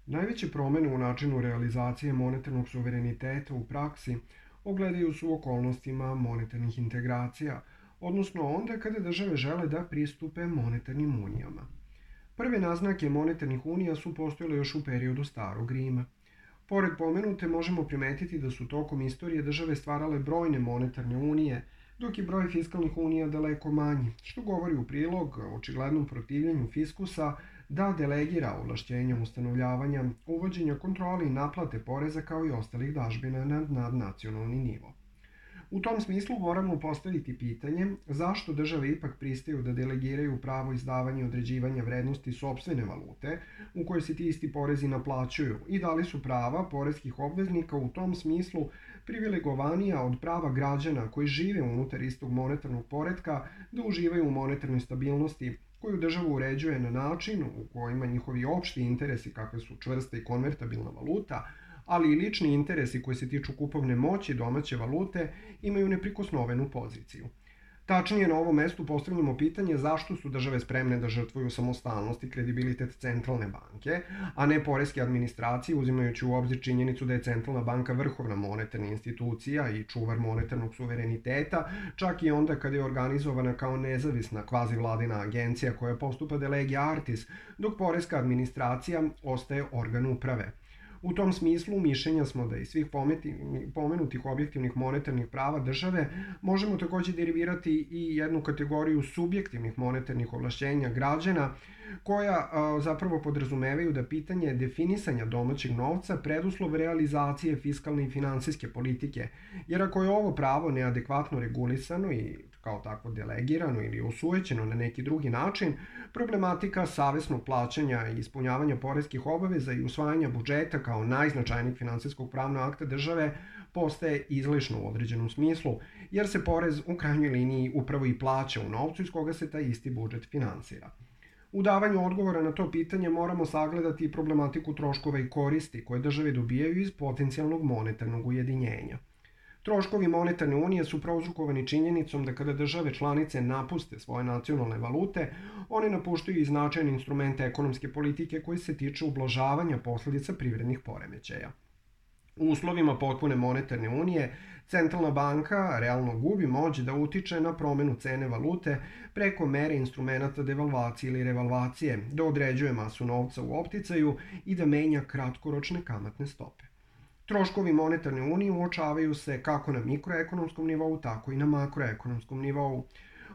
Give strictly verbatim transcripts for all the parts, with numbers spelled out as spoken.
Najveće promene u načinu realizacije monetarnog suvereniteta u praksi ogledaju se u okolnostima monetarnih integracija, odnosno onda kada države žele da pristupe monetarnim unijama. Prve naznake monetarnih unija su postojale još u periodu Starog Rima. Pored pomenute možemo primetiti da su tokom istorije države stvarale brojne monetarne unije, dok je broj fiskalnih unija daleko manji, što govori u prilog očiglednom protivljenju fiskusa da delegira ovlašćenja ustanovljavanja, uvođenja kontrole i naplate poreza kao i ostalih dažbina na nadnacionalni nivo. U tom smislu moramo postaviti pitanje zašto države ipak pristaju da delegiraju pravo izdavanja i određivanja vrednosti sopstvene valute u kojoj se ti isti porezi naplaćuju i da li su prava poreskih obveznika u tom smislu privilegovanija od prava građana koji žive unutar istog monetarnog poretka da uživaju u monetarnoj stabilnosti koju država uređuje na način u kojima njihovi opšti interesi kakve su čvrsta i konvertabilna valuta, ali i lični interesi koji se tiču kupovne moći domaće valute imaju neprikosnovenu poziciju. Tačnije, na ovom mestu postavljamo pitanje zašto su države spremne da žrtvuju samostalnost i kredibilitet centralne banke, a ne poreske administracije, uzimajući u obzir činjenicu da je centralna banka vrhovna monetarna institucija i čuvar monetarnog suvereniteta, čak i onda kada je organizovana kao nezavisna kvazivladina agencija koja postupa de lege artis, dok poreska administracija ostaje organ uprave. U tom smislu mišljenja smo da iz svih pomenutih objektivnih monetarnih prava države možemo takođe derivirati i jednu kategoriju subjektivnih monetarnih ovlašćenja građana koja zapravo podrazumevaju da pitanje definisanja domaćeg novca preduslov realizacije fiskalne i finansijske politike, jer ako je ovo pravo neadekvatno regulisano i kao takvo delegirano ili osujećeno na neki drugi način, problematika savesnog plaćanja i ispunjavanja poreskih obaveza i usvajanja budžeta kao najznačajnijeg finansijskog pravnog akta države postaje izlišno u određenom smislu, jer se porez u krajnjoj liniji upravo i plaća u novcu iz koga se taj isti budžet finansira. U davanju odgovora na to pitanje moramo sagledati i problematiku troškova i koristi koje države dobijaju iz potencijalnog monetarnog ujedinjenja. Troškovi monetarne unije su prouzrokovani činjenicom da kada države članice napuste svoje nacionalne valute, one napuštaju i značajne instrumente ekonomske politike koji se tiču ublažavanja posledica privrednih poremećaja. U uslovima potpune monetarne unije, centralna banka realno gubi moć da utiče na promenu cene valute preko mere instrumenta devalvacije ili revalvacije, da određuje masu novca u opticaju i da menja kratkoročne kamatne stope. Troškovi monetarne unije uočavaju se kako na mikroekonomskom nivou, tako i na makroekonomskom nivou.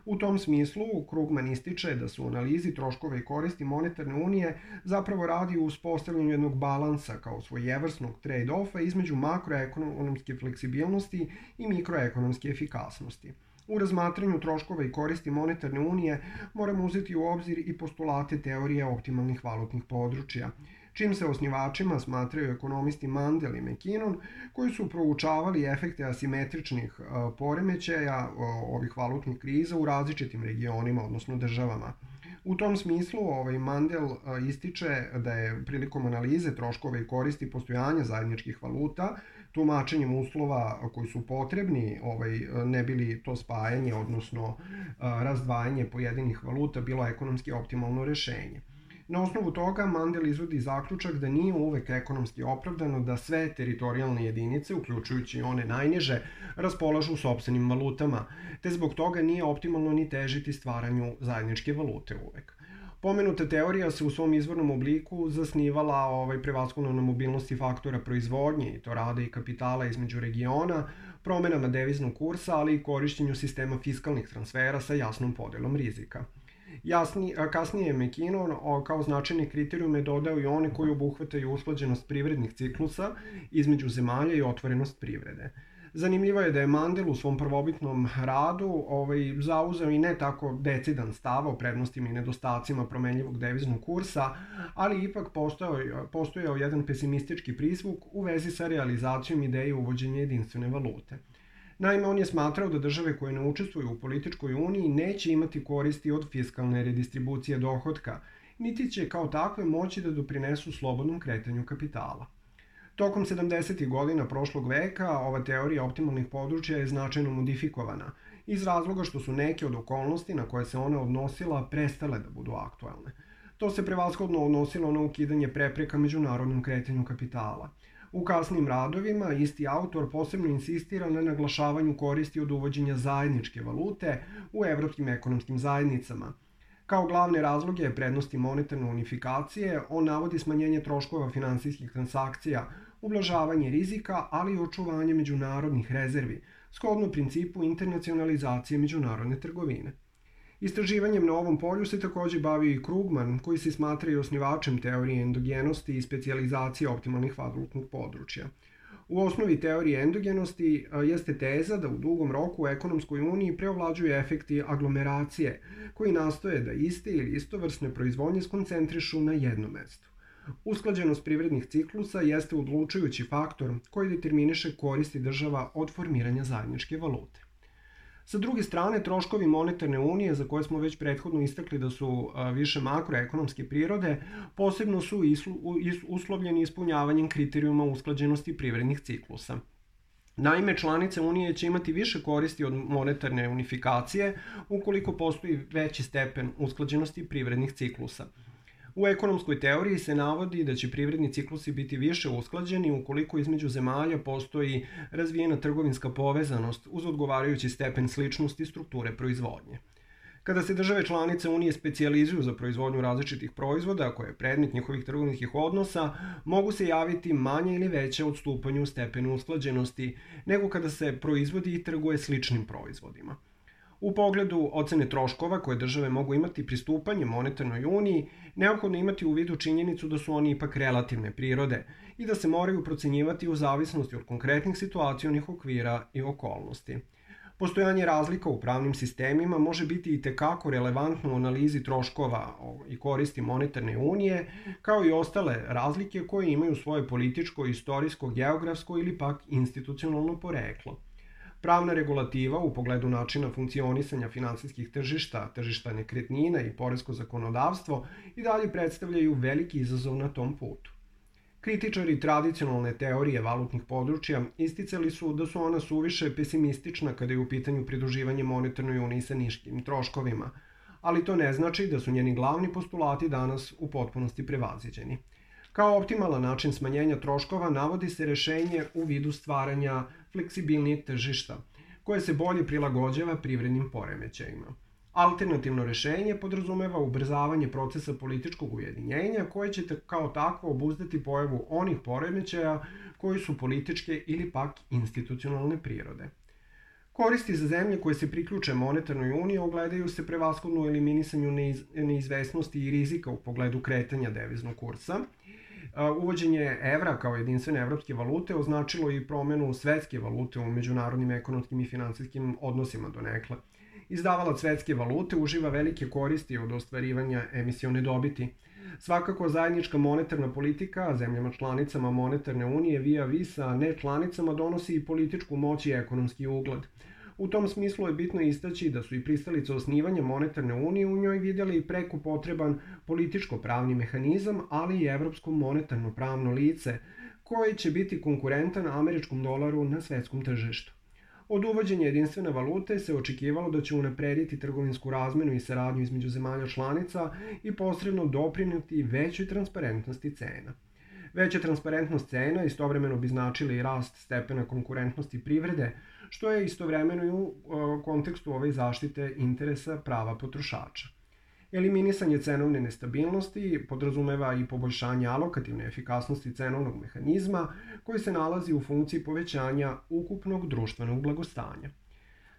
U tom smislu, Krugman ističe da se u analizi troškova i koristi monetarne unije zapravo radi o uspostavljanju jednog balansa kao svojevrsnog trade-offa između makroekonomske fleksibilnosti i mikroekonomske efikasnosti. U razmatranju troškova i koristi monetarne unije moramo uzeti u obzir i postulate teorije optimalnih valutnih područja, čim se osnivačima smatraju ekonomisti Mandel i McKinnon, koji su proučavali efekte asimetričnih poremećaja ovih valutnih kriza u različitim regionima, odnosno državama. U tom smislu ovaj Mandel ističe da je prilikom analize troškova i koristi postojanja zajedničkih valuta, tumačenjem uslova koji su potrebni, ovaj, ne bili to spajanje, odnosno razdvajanje pojedinih valuta bilo ekonomski optimalno rešenje. Na osnovu toga Mandel izvodi zaključak da nije uvek ekonomski opravdano da sve teritorijalne jedinice, uključujući one najniže, raspolažu sopstvenim valutama, te zbog toga nije optimalno ni težiti stvaranju zajedničke valute uvek. Pomenuta teorija se u svom izvornom obliku zasnivala ovaj, prevashodno na mobilnosti faktora proizvodnje, i to rada i kapitala između regiona, promenama deviznog kursa, ali i korišćenju sistema fiskalnih transfera sa jasnom podelom rizika. Jasni, kasnije je McKinnon kao značajne kriterijume dodao i one koji obuhvataju usklađenost privrednih ciklusa između zemalja i otvorenost privrede. Zanimljivo je da je Mandel u svom prvobitnom radu ovaj, zauzeo i ne tako decidan stav o prednostima i nedostacima promenljivog deviznog kursa, ali ipak postojao, postojao jedan pesimistički prizvuk u vezi sa realizacijom ideje uvođenja jedinstvene valute. Naime, on je smatrao da države koje ne učestvuju u političkoj uniji neće imati koristi od fiskalne redistribucije dohotka, niti će kao takve moći da doprinesu slobodnom kretanju kapitala. Tokom sedamdesetih godina prošlog veka ova teorija optimalnih područja je značajno modifikovana, iz razloga što su neke od okolnosti na koje se ona odnosila prestale da budu aktuelne. To se prevashodno odnosilo na ukidanje prepreka međunarodnom kretanju kapitala. U kasnim radovima isti autor posebno insistira na naglašavanju koristi od uvođenja zajedničke valute u evropskim ekonomskim zajednicama. Kao glavne razloge prednosti monetarne unifikacije, on navodi smanjenje troškova finansijskih transakcija, ublažavanje rizika, ali i očuvanje međunarodnih rezervi, shodno principu internacionalizacije međunarodne trgovine. Istraživanjem na ovom polju se takođe bavi i Krugman, koji se smatra i osnivačem teorije endogenosti i specijalizacije optimalnih valutnih područja. U osnovi teorije endogenosti jeste teza da u dugom roku u ekonomskoj uniji preovlađuju efekti aglomeracije, koji nastoje da iste ili istovrsne proizvodnje skoncentrišu na jednom mestu. Usklađenost privrednih ciklusa jeste odlučujući faktor koji determiniše koristi država od formiranja zajedničke valute. Sa druge strane, troškovi monetarne unije, za koje smo već prethodno istakli da su više makroekonomske prirode, posebno su uslovljeni ispunjavanjem kriterijuma usklađenosti privrednih ciklusa. Naime, članice Unije će imati više koristi od monetarne unifikacije ukoliko postoji veći stepen usklađenosti privrednih ciklusa. U ekonomskoj teoriji se navodi da će privredni ciklusi biti više usklađeni ukoliko između zemalja postoji razvijena trgovinska povezanost uz odgovarajući stepen sličnosti strukture proizvodnje. Kada se države članice Unije specijalizuju za proizvodnju različitih proizvoda, koje je predmet njihovih trgovinskih odnosa, mogu se javiti manje ili veće odstupanje u stepenu usklađenosti nego kada se proizvodi i trguje sličnim proizvodima. U pogledu ocene troškova koje države mogu imati pristupanjem monetarnoj uniji, neophodno imati u vidu činjenicu da su oni ipak relativne prirode i da se moraju procenjivati u zavisnosti od konkretnih situacionih okvira i okolnosti. Postojanje razlika u pravnim sistemima može biti i tekako relevantno u analizi troškova i koristi monetarne unije, kao i ostale razlike koje imaju svoje političko, istorijsko, geografsko ili pak institucionalno poreklo. Pravna regulativa u pogledu načina funkcionisanja finansijskih tržišta, tržišta nekretnina i poresko zakonodavstvo i dalje predstavljaju veliki izazov na tom putu. Kritičari tradicionalne teorije valutnih područja isticali su da su ona suviše pesimistična kada je u pitanju pridruživanje monetarnoj uniji sa niškim troškovima, ali to ne znači da su njeni glavni postulati danas u potpunosti prevaziđeni. Kao optimalan način smanjenja troškova navodi se rešenje u vidu stvaranja fleksibilnijeg tržišta, koje se bolje prilagođava privrednim poremećajima. Alternativno rešenje podrazumeva ubrzavanje procesa političkog ujedinjenja koje će kao takvo obuzdati pojavu onih poremećaja koji su političke ili pak institucionalne prirode. Koristi za zemlje koje se priključe monetarnoj uniji ogledaju se prevashodno u eliminisanju neizvesnosti i rizika u pogledu kretanja deviznog kursa. Uvođenje evra kao jedinstvene evropske valute označilo i promenu svetske valute u međunarodnim ekonomskim i finansijskim odnosima donekle. Izdavalac svetske valute uživa velike koristi od ostvarivanja emisione dobiti. Svakako, zajednička monetarna politika zemljama članicama monetarne unije via vis a ne članicama donosi i političku moć i ekonomski ugled. U tom smislu je bitno istaći da su i pristalice osnivanja monetarne unije u njoj vidjeli i preko potreban političko-pravni mehanizam, ali i evropsko monetarno pravno lice, koje će biti konkurentan američkom dolaru na svetskom tržištu. Od uvođenja jedinstvene valute se očekivalo da će unaprediti trgovinsku razmenu i saradnju između zemalja članica i posredno doprineti većoj transparentnosti cena. Veća transparentnost cena istovremeno bi značila i rast stepena konkurentnosti privrede, što je istovremeno i u kontekstu ove zaštite interesa prava potrošača. Eliminisanje cenovne nestabilnosti podrazumeva i poboljšanje alokativne efikasnosti cenovnog mehanizma koji se nalazi u funkciji povećanja ukupnog društvenog blagostanja.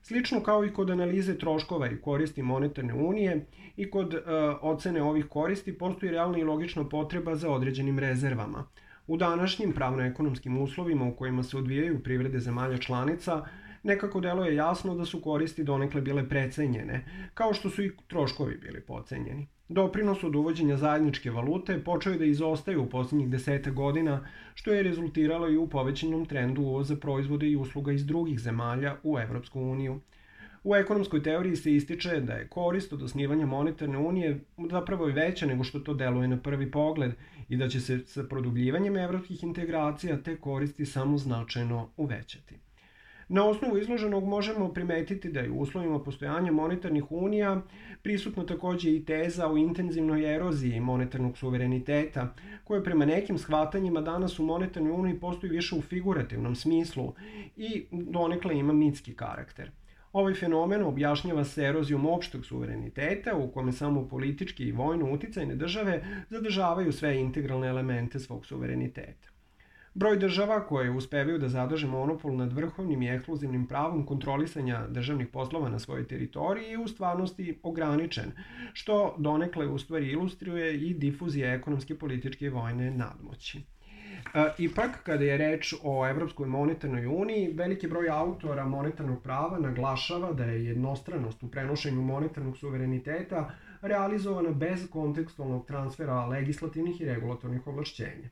Slično kao i kod analize troškova i koristi monetarne unije i kod e, ocene ovih koristi postoji realna i logična potreba za određenim rezervama. U današnjim pravno-ekonomskim uslovima u kojima se odvijaju privrede zemalja članica, nekako deluje jasno da su koristi donekle bile precenjene, kao što su i troškovi bili pocenjeni. Doprinos od uvođenja zajedničke valute počeo je da izostaje u posljednjih deseta godina, što je rezultiralo i u povećanom trendu uvoza proizvoda i usluga iz drugih zemalja u Evropsku uniju. U ekonomskoj teoriji se ističe da je korist od osnivanja monetarne unije zapravo veća nego što to deluje na prvi pogled i da će se sa produbljivanjem evropskih integracija te koristi samo značajno uvećati. Na osnovu izloženog možemo primetiti da je u uslovima postojanja monetarnih unija prisutna takođe i teza o intenzivnoj eroziji monetarnog suvereniteta, koje prema nekim shvatanjima danas u monetarnoj uniji postoji više u figurativnom smislu i donekle ima mitski karakter. Ovaj fenomen objašnjava se erozijom opšteg suvereniteta u kome samo politički i vojno uticajne države zadržavaju sve integralne elemente svog suvereniteta. Broj država koje uspevaju da zadrže monopol nad vrhovnim i ekskluzivnim pravom kontrolisanja državnih poslova na svojoj teritoriji je u stvarnosti ograničen, što donekle u stvari ilustruje i difuzija ekonomske, političke i vojne nadmoći. Ipak, kada je reč o Evropskoj monetarnoj uniji, veliki broj autora monetarnog prava naglašava da je jednostranost u prenošenju monetarnog suvereniteta realizovana bez kontekstualnog transfera legislativnih i regulatornih ovlašćenja.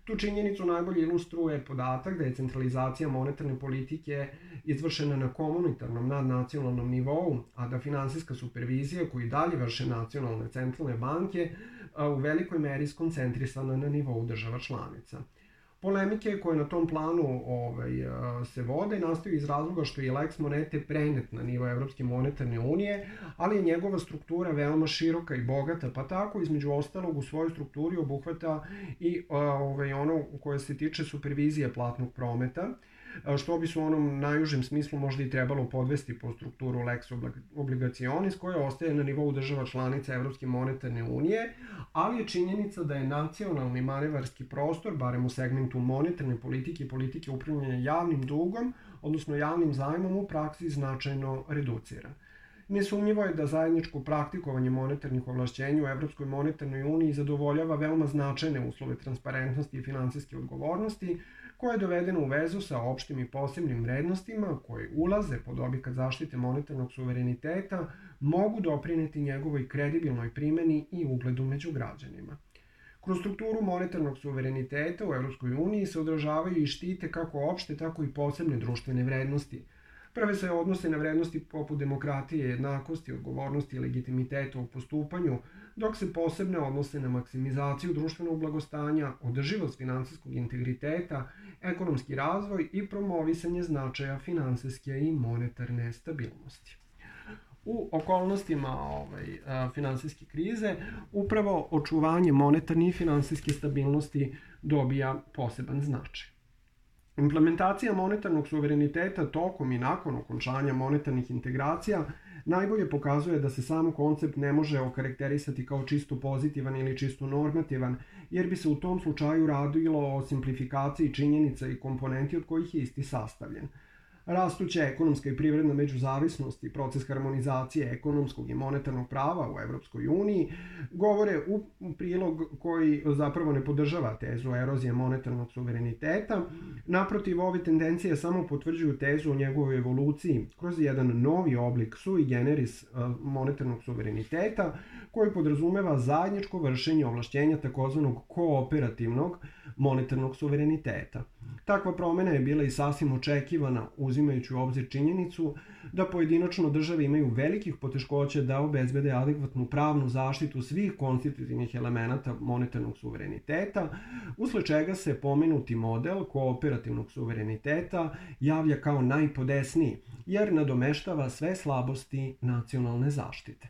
Tu činjenicu najbolje ilustruje podatak da je centralizacija monetarne politike izvršena na komunitarnom nadnacionalnom nivou, a da finansijska supervizija koju dalje vrše nacionalne centralne banke u velikoj meri skoncentrisana na nivou država članica. Polemike koje na tom planu ovaj, se vode nastaju iz razloga što je Lex Monete prenet na nivo Evropske monetarne unije, ali je njegova struktura veoma široka i bogata, pa tako između ostalog u svojoj strukturi obuhvata i ovaj, ono koje se tiče supervizije platnog prometa, što bi se u onom najužem smislu možda i trebalo podvesti po strukturu Lex Obligationis, koja ostaje na nivou država članica Evropske monetarne unije, ali je činjenica da je nacionalni manevarski prostor, barem u segmentu monetarne politike i politike upravljanja javnim dugom, odnosno javnim zajmom, u praksi značajno reduciran. Nesumnjivo je da zajedničko praktikovanje monetarnih ovlašćenja u Evropskoj monetarnoj uniji zadovoljava veoma značajne uslove transparentnosti i finansijske odgovornosti, koje je dovedeno u vezu sa opštim i posebnim vrednostima koje ulaze pod objekat zaštite monetarnog suvereniteta, mogu doprineti njegovoj kredibilnoj primeni i ugledu među građanima. Kroz strukturu monetarnog suvereniteta u Evropskoj uniji se odražavaju i štite kako opšte, tako i posebne društvene vrednosti. Prve se odnose na vrednosti poput demokratije, jednakosti, odgovornosti i legitimiteta u postupanju, dok se posebne odnose na maksimizaciju društvenog blagostanja, održivost finansijskog integriteta, ekonomski razvoj i promovisanje značaja finansijske i monetarne stabilnosti. U okolnostima ovaj, finansijske krize upravo očuvanje monetarne i finansijske stabilnosti dobija poseban značaj. Implementacija monetarnog suvereniteta tokom i nakon okončanja monetarnih integracija najbolje pokazuje da se sam koncept ne može okarakterisati kao čisto pozitivan ili čisto normativan, jer bi se u tom slučaju radilo o simplifikaciji činjenica i komponenti od kojih je isti sastavljen. Rastuća ekonomska i privredna međuzavisnost i proces harmonizacije ekonomskog i monetarnog prava u Evropskoj uniji govore u prilog koji zapravo ne podržava tezu erozije monetarnog suvereniteta. Naprotiv, ove tendencije samo potvrđuju tezu o njegovoj evoluciji kroz jedan novi oblik sui generis monetarnog suvereniteta koji podrazumeva zajedničko vršenje ovlašćenja takozvanog kooperativnog monetarnog suvereniteta. Takva promena je bila i sasvim očekivana, uzimajući u obzir činjenicu da pojedinačno države imaju velikih poteškoća da obezbede adekvatnu pravnu zaštitu svih konstitutivnih elemenata monetarnog suvereniteta, usled čega se pomenuti model kooperativnog suvereniteta javlja kao najpodesniji, jer nadomeštava sve slabosti nacionalne zaštite.